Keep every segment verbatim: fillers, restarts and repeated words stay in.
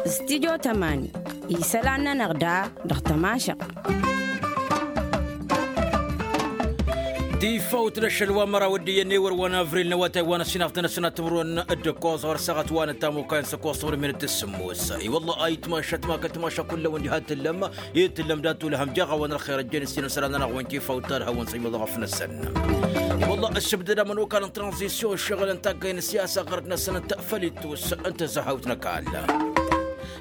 Studio tămani isălan-nănăɣ da dăɣ-tămašăɣt. Tifawt n-ašăl wa n-măraw d-iyyăn ewăr wa n-avril n-awătay wa n-ăssinaf d-anăsnat timǝrwen d-ǝkkoẓ ɣur-săɣăt wa n-ăttamukay n-săkkoẓ timǝrwen d-sǝmmos. I-wălla ayǝtmašăt ma kătmašăt kull-awăn diha t-tǝllăm i-tǝllăm dat-tulhăm jaɣ-awăn ălxer ăjjeen s-tinăsălan-nănăɣ wa n-tifawt talhăwăn s-iwăḍ ɣăf-năsăn. I-wălla ăssibdăd amănokal n-tranzisyon ǝššăɣǝl n-taggay n-siyasa ɣărăt-năsăn ǝnta făll-ittus n-tǝzzăhawt n-ăkall.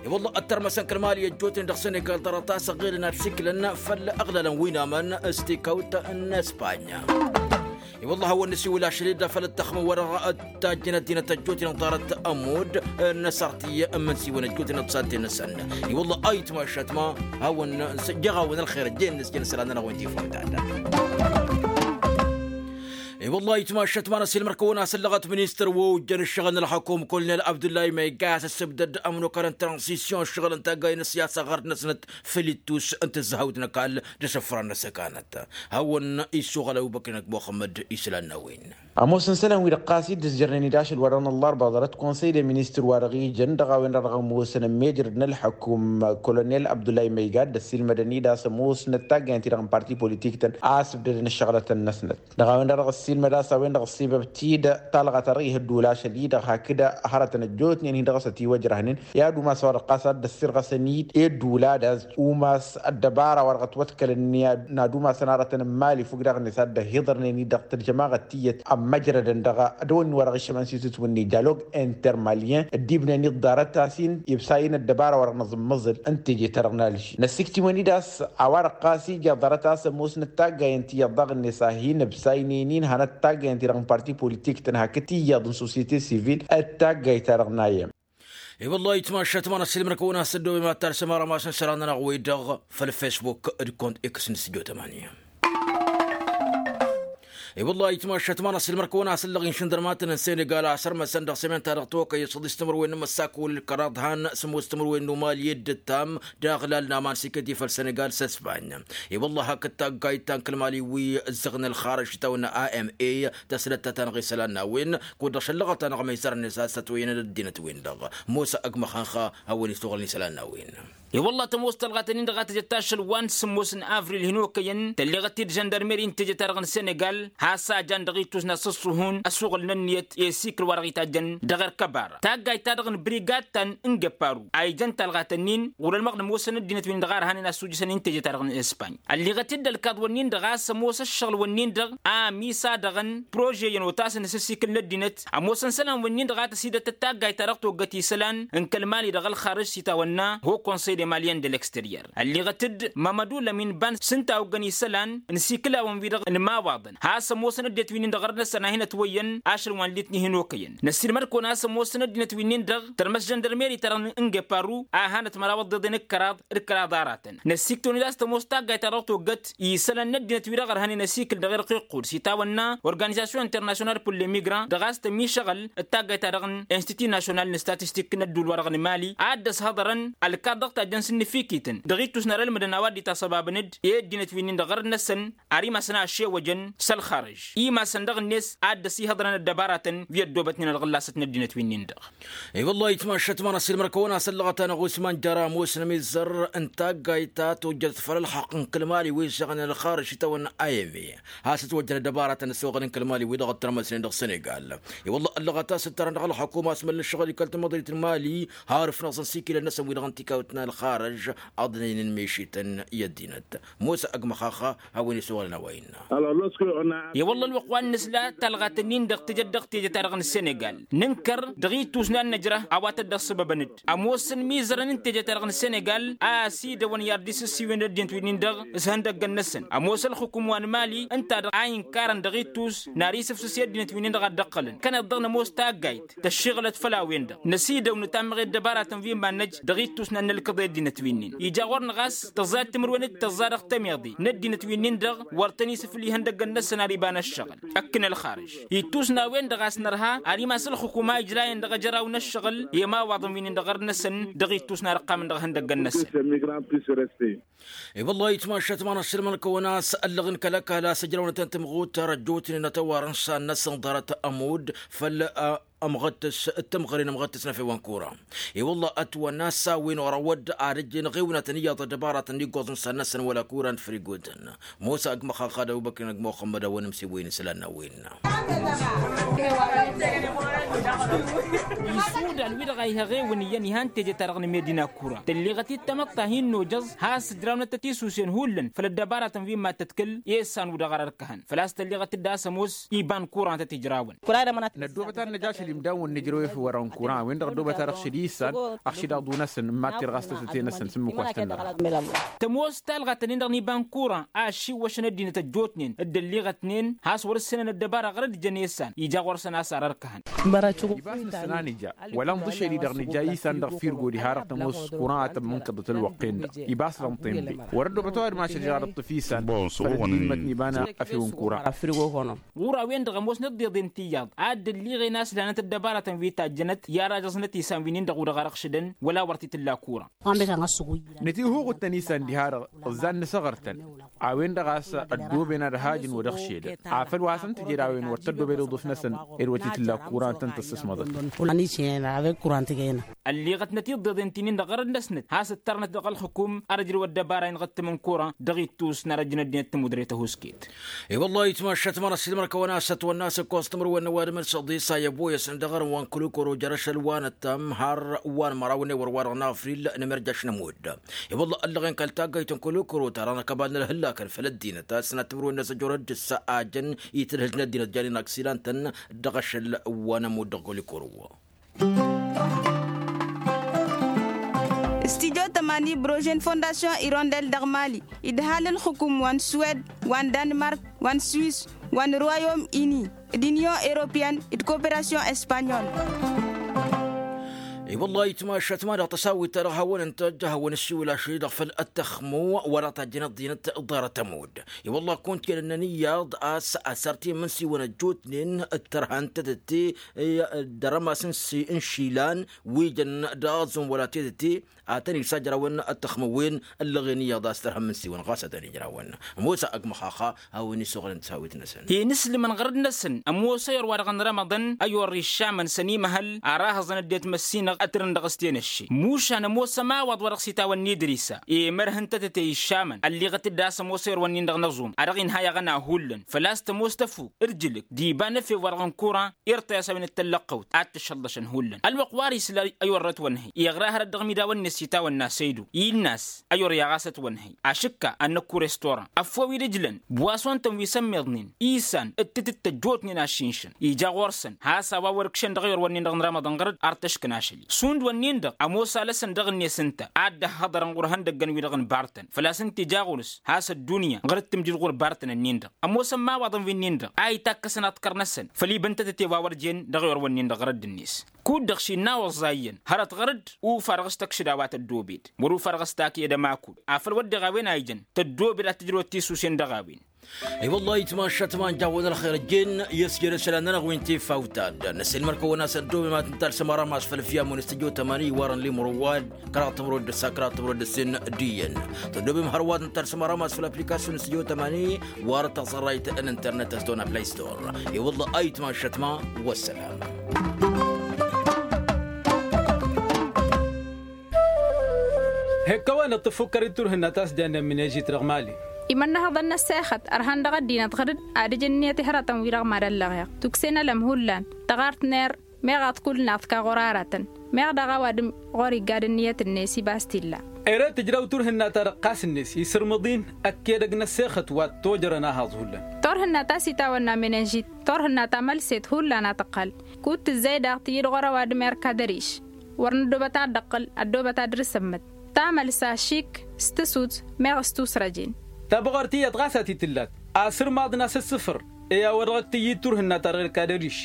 I-wălla ăttărmăsăn kăl-mali ăjjootnen dăɣ-senegal ḍarăt-as ăɣilăn ad-siklăn făll-aɣlalăn wi n-amăn s-tikawt n-espanya. I-wălla hawăn-nǝsiwǝl ašăl-i-dd afăl ăttăxmăn wăr-ăttajjăn ăddinăt ăjjootnen ḍarăt ămudd n-asărti n-imǝnsiwăn ăjjootnen d-satten-năsăn. I-wălla ayǝtmašăt ma hawăn-jăɣ-awăn ălxer ăjjeen n-asjăn isălan-nănăɣ wi n-tifawt ta-dăɣ. I-wălla ayǝtmašăt ma n-ăsilmăr kăwăn-asăllăɣăt ministăr wa ojjăn ǝššăɣǝl n-ălxăkum kolonel abdullahi măyga a-s ăssibdăd ămnokal n-tranzisyon ǝššăɣǝl n-taggay n-ăssiyasa ɣărăt-năsnăt făll-ittus n-tǝzzăhawt n-ăkall d-asǝfran n-ăsăkanăt. Hawăn-issuɣăl ăbubăkr-inăk muxămmăd isălan n-a-wen. Ămoosăn isălan-wi-dăɣ ɣas dd-ǝzjărnen-dd ašăl wa dăɣ-năllarba ḍarăt konsăy de ministăr wa dăɣ-ijăn dăɣ-a-wen-dăɣ ămoosăn ămmijrăd n-ălḥăkum kolonel abdullahi măyga dd-ăssiilmădăn-dd a-s ămoosnăt taggayăn-ti-dăɣ n-parti politik-tăn a ăsbdădăn ăššăɣlătăn-năsnăt. Dăɣ-a-wen-dăɣ dăɣ-ăssiilmăd a-s a-wen-dăɣ ăssiibăb-t-dd talɣa ta dăɣ-ih ădduul ašăl-i-dăɣ hakd hărătăn ăjjootnen-hi dăɣ-s ătiwăjrăhnen i-ad-umas a-wa dăɣ-ɣas a dd-ăssirɣăsăn-dd i-ădduul ad-az-umas ăddăbara wa dăɣ-ătwăḍkălăn n-ad-umasăn arătăn n-imali fukk daɣ-net a dd-ăhiḍărnen-dd dăɣ-tălžămaɣăt tiyyăt ămmăjrădăn dăɣ-dăwănni wa dăɣ-iššămăn s-itǝtwǝnni dialog intermalyen dd-ibnen-dd ḍarăt-as-in ibsayăn ăddăbara wa dăɣ-nǝẓǝmmăẓǝl n-teje-ta-dăɣ n-alži năssiktǝwăn-dd a-s a-wa-dăɣ ɣas ija ḍarăt a-s ămoosnăt taggayăn ti iyyăḍ daɣ-net a hin-ǝbsaynen-in hanăt taggayăn-ti-dăɣ n-parti politik-tăn hakd ti iyyăḍ n-sosyete sivil d-taggayt-ta-dăɣ n-ayăm. I-wăllah itmašat ma n-ăssiilmăr-kăwăn-as ăddooben ma t-talsăm arămas n-isălan-nănăɣ-wi-dăɣ făll-fesbuk d-kont x n-studio tămani. I-wăllah itmašat ma n-ăssiilmăr-kăwăn-as ǝllăɣ-in šindărmatăn n-senegal a sărmăsăn dăɣ-sămen-ta-dăɣ tokăy s-ăḍis timǝrwen n-imǝssak wăl-kăraḍ han sămoos timǝrwen n-umali i-dd-ǝttam d-aɣlal n-aman s-ikăti făll-senegal s-ăsbany. I-wăllah hakd taggayt ta n-kăl-mali wi ǝzzăɣnen ălxarăj s-itawănna a m a tăslăt ta tanăɣ-isălan n-a-wen kud-dăɣ šăllăɣăt-anăɣ măysărnen s-ad-sătwăyăn d-ăddinăt-win-dăɣ. Mosa ăgg măxănxa hawăn-isuɣǝlăn isălan n-a-wen. I-wăllah tămoos tălɣatăn-in-dăɣ a tǝjăt ašăl wa n-sǝmmos n-avril hin-okăyăn tălleɣăt-dd žăndărmeri n-teje-ta-dăɣ n-senegal has-a jan dăɣ-ittus n-ad-sǝṣṣuhun ăsuɣǝl n-ănniyăt i-asikǝl wa dăɣ-itajjăn dăɣ-erk ăbara taggayt-ta-dăɣ n-brigad ta n-ingăpparu a ijăn talɣatăn-in ɣur-ălmăɣ n-ămoosăn ăddinăt-win-dăɣ a ărhanen asujǝsăn-in teje-ta-dăɣ n-espany. Ălliɣăt-dd ălkaḍ-wǝnnin-dăɣ a-s ămoos ăššăɣǝl-wǝnnin-dăɣ a ămisa dăɣ-n prože-yăn otasăn s-ăsikǝl n-ăddinăt ămoosăn isălan-wǝnnin-dăɣ a tăsidăt d-taggayt-ta-dăɣ toggăt isălan n-kăl-mali dăɣ-ălxarǝj s-itawănna ho konsăy de malyen d-ălexteryăr. Ălliɣăt-dd mămădu lămin ban s-ǝnta oggăn isălan n-isikǝlawăn-wi-dăɣ n-imawaḍăn has-ămoosăn ăddinăt-win-in-dăɣ ărnăsăn a hin-ătwăyyăn ašăl wa n-litni hin-okăyăn. Năssiilmăd-kăwăn a-s ămoosăn ăddinăt-win-in-dăɣ tărmăs žăndărmeri-ta-dăɣ n-ingăpparu a hanăt măraw ăḍḍeḍen d-kăraḍ d-kăraḍ aratăn. Năssiktăwăn-dd a-s tămoos taggayt-ta-dăɣ toggăt isălan n-ăddinăt-wi-dăɣ ărhănen ăsikǝl dăɣ-irq iqqud s-itawănna organizasyon international pour l-immigrant dăɣ-a-s tămišăɣăl d-taggayt-ta-dăɣ n-institut national n-statistik n-ădduul-wa-dăɣ n-mali a dd-ăshăḍărăn ălkaḍ dăɣ-tajjăn s-ǝnnǝfikităn dăɣ-ittus n-ara ălmǝdăn a-wa dd-itasăbabăn-dd i-ăddinăt-wi-nin-dăɣ ɣărăt-năsăn ar imasăn a ăššewăjăn s-ălxarăž imasăn dăɣ-net a dd-ăsihăḍrăn ăddăbaratăn wi ăddoobătnen ălɣǝllasăt n-ăddinăt-wi-nin-dăɣ. I-wăllah itmašat ma n-ăssiilmăr-kăwăn-as ăllăɣăt-anăɣ usman jăra ămoosăn amizzăr n-taggayt ta tojjăt făll-ălxaqq n-kăl-mali wi ǝššăɣnen ălxarǝj s-itawănna a m a has-ătwăjjăn ăddăbaratăn ăssoɣăl n-kăl-mali wi-dăɣ ăttărmăsnen dăɣ-senegal. I-wăllah ăllăɣăt a-s ǝttărăn dăɣ-ălxăkum a-s măllăššăɣ-dd i-kăl-tamăḍrit n-mali har ǝfnăẓăn s-ikilăn-năsăn wi-dăɣ n-tikawt n-ălxarǝj ăḍnăynen mešităn i-ăddinăt. Mosa ăgg-măxaxa hawăn-isuɣǝlăn a-wa innă. I-wălla ălwăqq wa n-nǝsla talɣat-ǝnnin-dăɣ tǝjăt dăɣ-teje-ta-dăɣ n-senegal nǝnkăr dăɣ-ittus n-ad-nǝjrăh a-wa tăddăɣ sǝbăbăn-dd ămoosăn imizărăn n-teje-ta-dăɣ n-senegal a ăsidăwăn i-ad-dd-isǝssiwen ăddinăt-wi-nin-dăɣ s-ihăndăggăn-năsăn ămoos ălxukum wa n-mali ǝnta-dăɣ a inkarăn dăɣ-ittus n-ar isǝfsǝs i-ăddinăt-wi-nin-dăɣ a dd-ǝqqǝlăn kăneḍ-dăɣ nămoos taggayt tăššiɣǝlăt făll-a-wen-dăɣ năsidăw nǝtammeɣ i-ăddăbaratăn wi n-iman-năj dăɣ-ittus n-ad-nǝlkǝḍ. ăddinăt wi-nin ija ɣur-năɣ a-s tăẓẓayăt timǝrwen d-tăẓẓa dăɣ-temyaḍe n-ăddinăt wi-nin-dăɣ wăr tăn-isǝflǝy ihăndăggăn-năsăn ar iba n-ăššăɣǝl. Ăkk n-ălxarǝž ittus n-a-wen-dăɣ a-s nărha ar imas ǝlxǝkum a ijrayăn dăɣ-ejăraw n-ăššăɣǝl i-imawaḍăn wi-nin-dăɣ ɣărd-năsăn dăɣ-ittus n-ad-ǝqqamăn dăɣ-ihăndăggăn-năsăn. I-wăllah itmašat ma n-ašăl mănăkăwăn a-s ăllăɣ n-kăl-ăkall a-s ǝjrăwnăt n-timɣut răjjutnen ătăwarăn san-năsăn ḍarăt ămud făll-ămɣăttăs d-tămɣăre n-ămɣăttăs n-efew n-kura. I-wăllah ătwănna s-a-wen orăwăd ad-ăjjăn ɣewnatăn iyyăḍ ăddăbaratăn n-iggoẓ n-san-năsăn wăla kura n-frigotăn. Musa ăgg măxaxad ăbubăkr n-ăgg muxămmăd a-wen ǝmsewăyăn isălan n-a-wen. Isudal wi-dăɣ a ihăɣewăn iyyăn ihan teje-ta-dăɣ n-medina kura tălleɣăt-dd tamăḍt ta hin-nojăẓ has-ǝjrawnăt tătisusen hullan făll-ăddăbaratăn wi n-mad-tăḍkǝl i-ăssan wi-dăɣ ar ărkăhăn făl-a-s tălleɣăt-dd a-s ămoos iba n-kura n-tăt-ijrawăn. Năddoobăt ad-năj ašăl imdan wăr nǝjrăw efăw wăr-ănkura a-wen-dăɣ ăddoobăt ad-ăɣšǝd i-issan ăɣšǝd aḍu-năsăn n-mad-t-irɣas tătăte-năsăn s-ǝmmǝk wa s-tăn-nărha. Tămoos talɣa-tăn-in-dăɣ n-iba n-kura a ăššiwwăšăn ăddinăt ăjjootnen d-ălliɣătnen has-wăr-ǝssǝnăn ăddăbara ɣărăt jăn i-issan ija ɣur-săn a-s ar ărkăhăn. Ibas nǝssăn a nǝja wăla ǝnḍǝšel-i-dăɣ nǝja i-issan dăɣ-firgo diha-dăɣ tămoos kura a tămmǝnkăḍăt ălwăqq-en-dăɣ. Ibas lănṭen be wăr-ăddoobăt ăwadǝm ašăl ija ad-ǝṭṭǝf i-issan făll-ăddinmătnen iba n-efew n-kura. Ɣur-a-wen-dăɣ ămoosnăt d-iḍen tiyyăḍ a dd-ălliɣen a-s lanăt ăddăbaratăn wi tajjănăt i-ara jăẓnăt isan wi-nin-dăɣ u-dăɣ arăɣšǝdăn wăla wăr t-tǝlla kura. Nătihuɣǝd-tăn isan diha-dăɣ ǝzzan nǝsăɣăr-tăn a-wen-dăɣ a-s ăddooben ad-hajǝn wăr-ăɣšedăn afăl wa hasăn-tǝjed a-wen wăr tăddobed iḍǝf-năsăn ed wăr t-tǝlla kura n-tăn-tăssǝsmăḍăt. Ălliɣătnăt iḍeḍen ti-nin-dăɣ ɣărăd-năsnăt has-ǝttărnăt dăɣ-ălxǝkum ar ǝjrăw ăddăbara-in ɣǝttǝm n-kura dăɣ-ittus n-arăjjăn ăddinăt tǝmudre tăhusket. I-wăllah itmašat ma n-ăssiilmăr-kăwăn a-s ătwănna a-s ǝkkoẓ timǝrwen n-ăwadǝm n-săḍisa i-ăboyăsăn dăɣ-ărǝwăn kăl-ukăro jer-ašăl wa n-ăttam har wa n-măraw n-ewăr-wa-dăɣ n-afril n-emerjaš n-ămudd. I-wăllah ăllăɣen kăl-taggayt n-kăl-ukăro ta dăɣ-năkăbal n-ălhǝllakăn făll-ăddinăt a-s sănat timǝrwen n-asăjor ăddǝssa ajăn itǝlhǝl n-ăddinăt janin aksilan-tăn dăɣ-ašăl wa n-ămudd dăɣ-kăl-ukăro. Studyo tămani brožen fondasyon irondel dăɣ-mali idhal ǝlxǝkum wa n-suwed wa n-danmark wa n-swis wa n-royom ini d-inyon europeyăn d-koperasyon espanyol. I-wăllah itmašat ma dăɣ-tăsawit-ta-dăɣ hawăn-ǝntăjj hawăn-ǝssiwǝl ašăl-i-dăɣ făll-ăttăxmu wa dăɣ-tajjăn ăḍḍinăt ḍarăt ămudd. I-wăllah kunt kăl-ănnăn iyyăḍ a-s asăr ti n-imǝnsiwăn ăjjootnen d-tărha n-tătăte d-arămas n-išilan wi jăn d-aẓǝm wăla tetăte. Ad-tăn-isajrawăn ăttăxmăwen ăllăɣen iyyăḍ a-s tărha n-imǝnsiwăn ɣas ad-tăn-ijrawăn. Ămoos a ăgg-măxaxa a-wen isuɣǝlăn tăsawit-năsăn. Inǝslǝmăn ɣărăd-năsăn ămoos ayor wa dăɣ-nărămăḍăn ayor išamăn s-ănimăhăl ara hăẓăn ăddinăt măssinăɣ ătrǝn dăɣ-s tenăšše mušan ămoos ămawaḍ wa dăɣ-s itawănna idrisa i-mărh n-tătăte išamăn ălliɣăt-dd a-s ămoos ayor-wăn-in-dăɣ n-aẓum a dăɣ-inhayăɣăn a hullan făl-a-s tămoos tăfuk d-ǝjlǝk d-iba n-efew wa dăɣ-n kura irtăy a-s a-wen d-tăllăqqăwt ad-t-ǝššăllăšăn hullan ălwăqq wa dăr-isǝl ayor-ătwănhăy iɣra hărăt dăɣ-imidaw-net s-itawănna săydu. Innă-as ayor i-aɣas ătwănhăy ašǝkka ad-năkkur estora ăffowi d-ǝjlăn bwason-tăn wi s-ămmiḍnen isan d-tǝtǝttăjjotnen ašinšăn ija ɣur-săn has-a-wa wăr-ǝkšăn dăɣ-ayor-wănnin-dăɣ n-rămăḍăn ɣăr-dd ar tăškǝn ašăl-i šund-wănnin-dăɣ ămoos alăsăn dăɣ-net ǝnta ad-dd-ăhhăḍărăn ɣur-ihăndăggăn-wi-dăɣ n-bartăn făl-a-s ǝnta ija ɣur-s has-ăddunya ɣăr-dd-tǝmjǝd ɣur-bartăn-ǝnnin-dăɣ. Ămoosăn imawaḍăn wi-nin-dăɣ a itakkăsăn aḍkăr-năsăn făll-ibǝntătăte wa wăr jen dăɣ-ewăr-wănnin-dăɣ ɣărădd-net. Kud-dăɣ šinna oẓẓa iyyăn hărăt ɣărădd ufa dăɣ-s tăkšǝd a-wa tăddobed wăr-ufa dăɣ-s tak i-ad-ămakud afăl wăr deɣ a-wen a ijăn tăddobed ad-tǝjrăwăt tisusen dăɣ-a-wen. I-wăllah itmašat ma n-jawăn ălxer ǝjjen i-ăsjed isălan-nănăɣ wi n-tifawt ta dd-năsilmăr-kăwăn a-s ăddobem ad-tǝntalsăm arămas făll-fiyam wa n-studyo tămani iwarăn limrăwad kăraḍ tămrăwăd d-ǝssa kăraḍ tămrăwăd d-ǝssin d-iyyăn. Tăddobem hărwa ad-tǝntalsăm arămas făll-aplikasyon n-studyo tămani warăn taẓărrayt n-internet ăstona play store. I-wăllah ayǝtma ăššătma. Wăssălam. Hek-kăwăn-dd-tǝffukkăr-dd turhǝnna ta s-jannen minežit dăɣ-mali. Imănnăhăḍăn n-ăssexăt ărhan dăɣ-ăddinăt ɣǝr-dd ad-ǝj ǝnniyăt i-hărătăn-wi-dăɣ mad-ăllăɣeɣ tuksen ălăm hullan tăɣart n-err meɣ aḍkul-năɣ tǝka ɣur-aratăn. Meɣ daɣ ăwadǝm ɣur-igga d-ǝnniyăt-net ibas t-illa. Ere tǝjraw turhǝnna-ta-dăɣ ɣas-net isǝrmǝḍ-in ăkk edăgg n-ăssexăt wa t-tojărăn ahaẓ hullan. Turhǝnna ta s-itawănna menenžit turhǝnna ta mălset hullan a tǝqqăl kud-tǝzzey daɣ tǝyyǝd ɣur-ăwadǝm erk ad-ăriš. Wăr nǝddobăt ad-dd-ăqqǝl ăddoobăt ad-dd-ăsǝmmǝt tamălsa šik s-tǝsut meɣ s-tusrăjen. Tabɣărt iyyăḍ ɣas a t-tǝllat asǝrmaḍ n-asǝssǝfăr i-a-wa dăɣ-ăkk tǝyyǝd turhǝnna-ta-dăɣ erk ad-ăriš.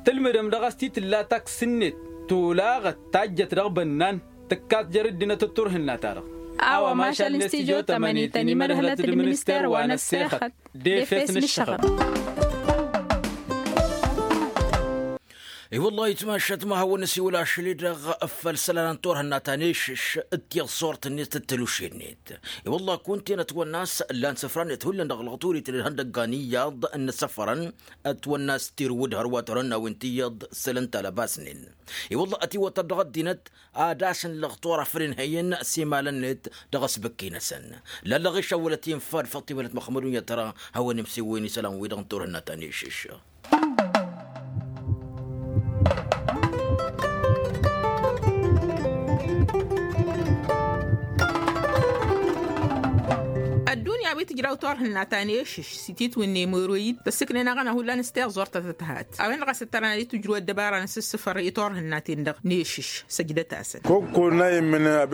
Tǝlmǝdăm dăɣ-a-s t-tǝlla taksǝnnet tolaɣăt tajjăt dăɣ-bănnan. Tǝkkat jer-ǝddinăt d-turhǝnna-ta-dăɣ. A-wa mašal n-stijo tămănit ănimădhǝlăt d-minister wa n-ăssexăt d-efes n-ǝššăɣǝl. I-wălla-hi ǝtmašăt ma hawăn-nǝsiwǝl ašăl-i-dăɣ făll-isălan n-turhǝnna ta n-ešǝš d-tiẓẓurt-net d-tăluše-net. I-wălla-hi kunta-en ătwănna a-s ǝllan isăfra-net hullan dăɣ-lăɣturit n-ihăndăggan iyyăḍ n-inǝssăfărăn. Ătwănna a-s tirǝwǝd hărwa turhǝnnawen ti iyyăḍ săl ǝnta lăbasnen. I-wălla-hi ătiwătăr dăɣ-ăddinăt ad-asǝnlăɣ tura făll-inhăyăn s-imalăn-net dăɣ-asbǝkki-năsăn. Lallăɣ išăwwălăt infa d-făṭṭimălăt măxmădun i-ad-tăra hawăn-imsǝwwǝyăn isălan-wi-dăɣ n-turhǝnna ta n-ešǝš. Ăddunya wi tǝjraw turhǝnna ta n-ešǝš s-ititwǝnne măroyid tăssǝknen aɣăna hullan s-tiẓẓurt ta tăt-hat. A-wen-dăɣ a-s ǝttărăn ad-itǝjrǝw ăddăbara n-asǝssǝfăr i-turhǝnnaten-dăɣ n-ešǝš. Săjdăt-asăn.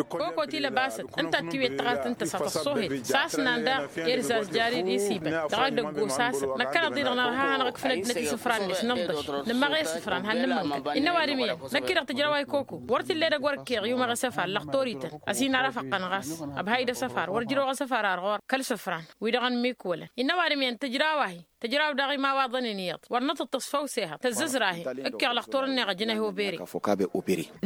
Koko ti lăbasăt ǝnta ăttiwet tăɣart n-tăsa tăṣṣuhet s-asnan daɣ. Ed zazjari d-isibăn dăɣ-edăgg osasăn năkkăneḍ-i-dăɣ nărha hanăɣ-ǝkfǝn ăddinăt isǝfra-net nǝḍḍăš nǝmmăɣ i-isǝfran han nǝmmǝnkăd. Innă ăwadǝm iyyăn năkk-i-dăɣ tǝjraw a ikoko wăr t-illa edăgg wăr ǝkkeɣ i-umaɣ isăfar lăxtorităn. Ăsinarăfăqqăn ɣas ăbhay d-asăfar wăr ǝjrăwăɣ asăfar ar ɣur-k kăl-isǝfran wi-dăɣ ănmikwălăn. Innă ăwadǝm iyyăn tǝjraw-ahi tǝjraw daɣ imawaḍăn-in iyyăḍ wăr nǝtǝṭṭǝs făw s-ehăḍ tăzzăzr-ahi. Ǝkkeɣ lăxtor-net ăjnăh obere.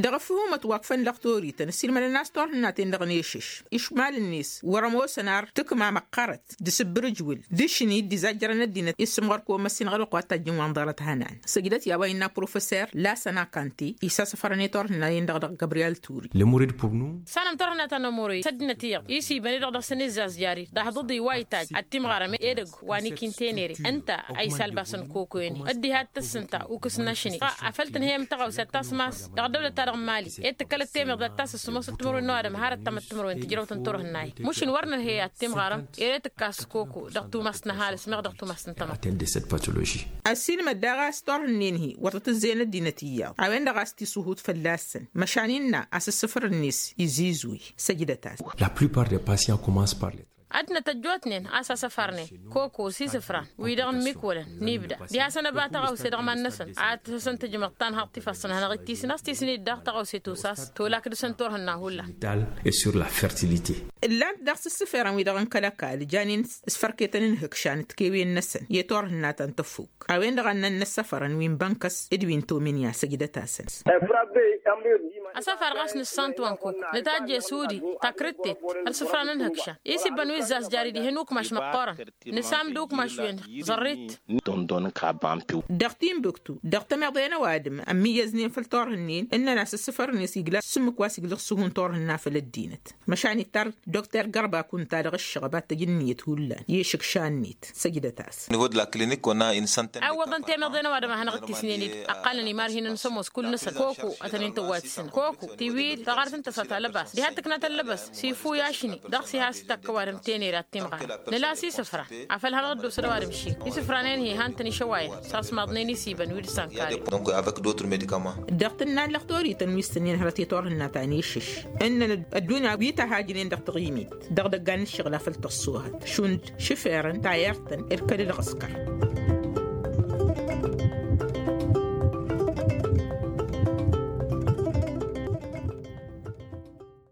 Dăɣ-ăffǝhumăt wa ǝkfăn lăxtorităn ǝssilmădăn a-s turhǝnnaten-dăɣ n-ešǝš išmal-net wăr-ămoosăn ar tǝkma măqqărăt d-asǝbbǝrǝjwǝl d-ašni dd-izajjărăn ăddinăt i-sǝmɣăr kăwăn-măssinăɣ ălwăqq wa t-tajjǝn wa n-ḍarăt hănan. Săjdăt i-a-wa innă professor lasăn akante isasăfărăn i-turhǝnnaten-dăɣ dăɣ-gabriyel turi. Lămurid purnu. Sanăm turhǝnna ta n-ămurăy s-ăddinăt iyyăḍ isibăn-i-dăɣ dăɣ-săn izzazjari d-ahḍǝḍi wa itajj ad-timɣarăm edăgg wa n-ikintenere ǝnta a isalbasăn kokoyăn-i ăddiha d-tǝssǝnta ukǝs n-ašni. Afăl tǝnhăyăm tăɣawse ad-tasmas dăɣ-ăddăwlăt-ta-dăɣ n-mali ed tǝkkălăt temeḍ ad-tasǝs sǝmosăt timǝrwen n-ăwadǝm hărăt tamăt timǝrwen tǝjrăwt n-turhǝnna-i. Măšin wăr nǝnhăy ad-timɣarăm ere tǝkkas koko dăɣ-tumast n-ăhalǝs meɣ dăɣ-tumast n-tamăḍt. Ăssinmăd daɣ a-s turhǝnnen-hi wăr tăt-ǝzzeyăn ăddinăt iyyăḍ a-wen-dăɣ a-s tisuhut fălla-săn măšan innă a-s ǝssǝfăr-net izizuy. Săjdăt-as. La plupart des patients commencent par les. Ad-năt ăjjootnen a-s asăfarnen koko s-isǝfran wi-dăɣ n-imikwălăn n-ibda diha-săn ăba tăɣawse dăɣ-iman-năsăn ad-tăsăn tǝjmăḍ ta n-haḍt ifassăn hanăɣ-ittisǝn a-s tisnit daɣ tăɣawse tusas tolak dăɣ-săn turhǝnna hullan. Ǝllan-t daɣ s-ǝssǝferăn wi-dăɣ n-kăl-ăkall janen s-fărketăn n-ihǝkšan d-tikewen-năsăn i-turhǝnna ta n-tăfuk. A-wen-dăɣ a ǝnnăn inăssăfărăn wi n-bănkăs d-wi n-tomǝnya săjdăt-asăn. Asăfar ɣas nǝssan-t wa n-kuk nǝtajje s-udi takrǝttet ălsǝfra n-inhǝkša isibbăn wi ǝzzazjari dihen ukmaš măqqoorăn nǝsam d-ukmaš-wen. Ẓărrit. Dăɣ-timbuktu dăɣ-temeḍe n-ăwadǝm ămmiyyăznen făll-turhǝnnen ǝnnăn a-s ǝssǝfărăn-net igla s-ǝmmǝk wa s-igdăɣ s-ǝhun turhǝnna făll-ăddinăt. Măšan ittar dokter gărba kunta dăɣ-ǝššăɣăb ad-tăj ǝnniyăt hullan i-išǝkša-net. Săjdăt-as. Awăḍăn temeḍe n-ăwadǝm a hanăɣ-dd-tisnen-dd ăqqalăn imarhinăn s-ămoos kull-năsăn koko ad-tăn-in-tăwwayt s-inăɣ koko tiwil taɣart n-tăsa talăbas diha tǝkna tăllăbăs s-ifu i-ašni dăɣ-s iha s-takkăwadǝm tenere ad-timɣarăm. Nǝla s-isǝfran afăl hanăɣ-dd-osăn ăwadǝm šik isǝfranen-hi han-tăn-išăwayăn s-asmaḍnen isibăn wi d-sănkare. Dăɣ-tǝnna n-lăxtorităn wi s-tǝnnin hărăt i-turhǝnna ta n-išǝš ǝnnăn ăddunya wi tăhajnen dăɣ-taɣimit dăɣ-idăggan n-ǝššăɣǝl a făl tăṣṣoohăt šund šǝferăn tayărt-tăn irkăd d-ɣăskăr.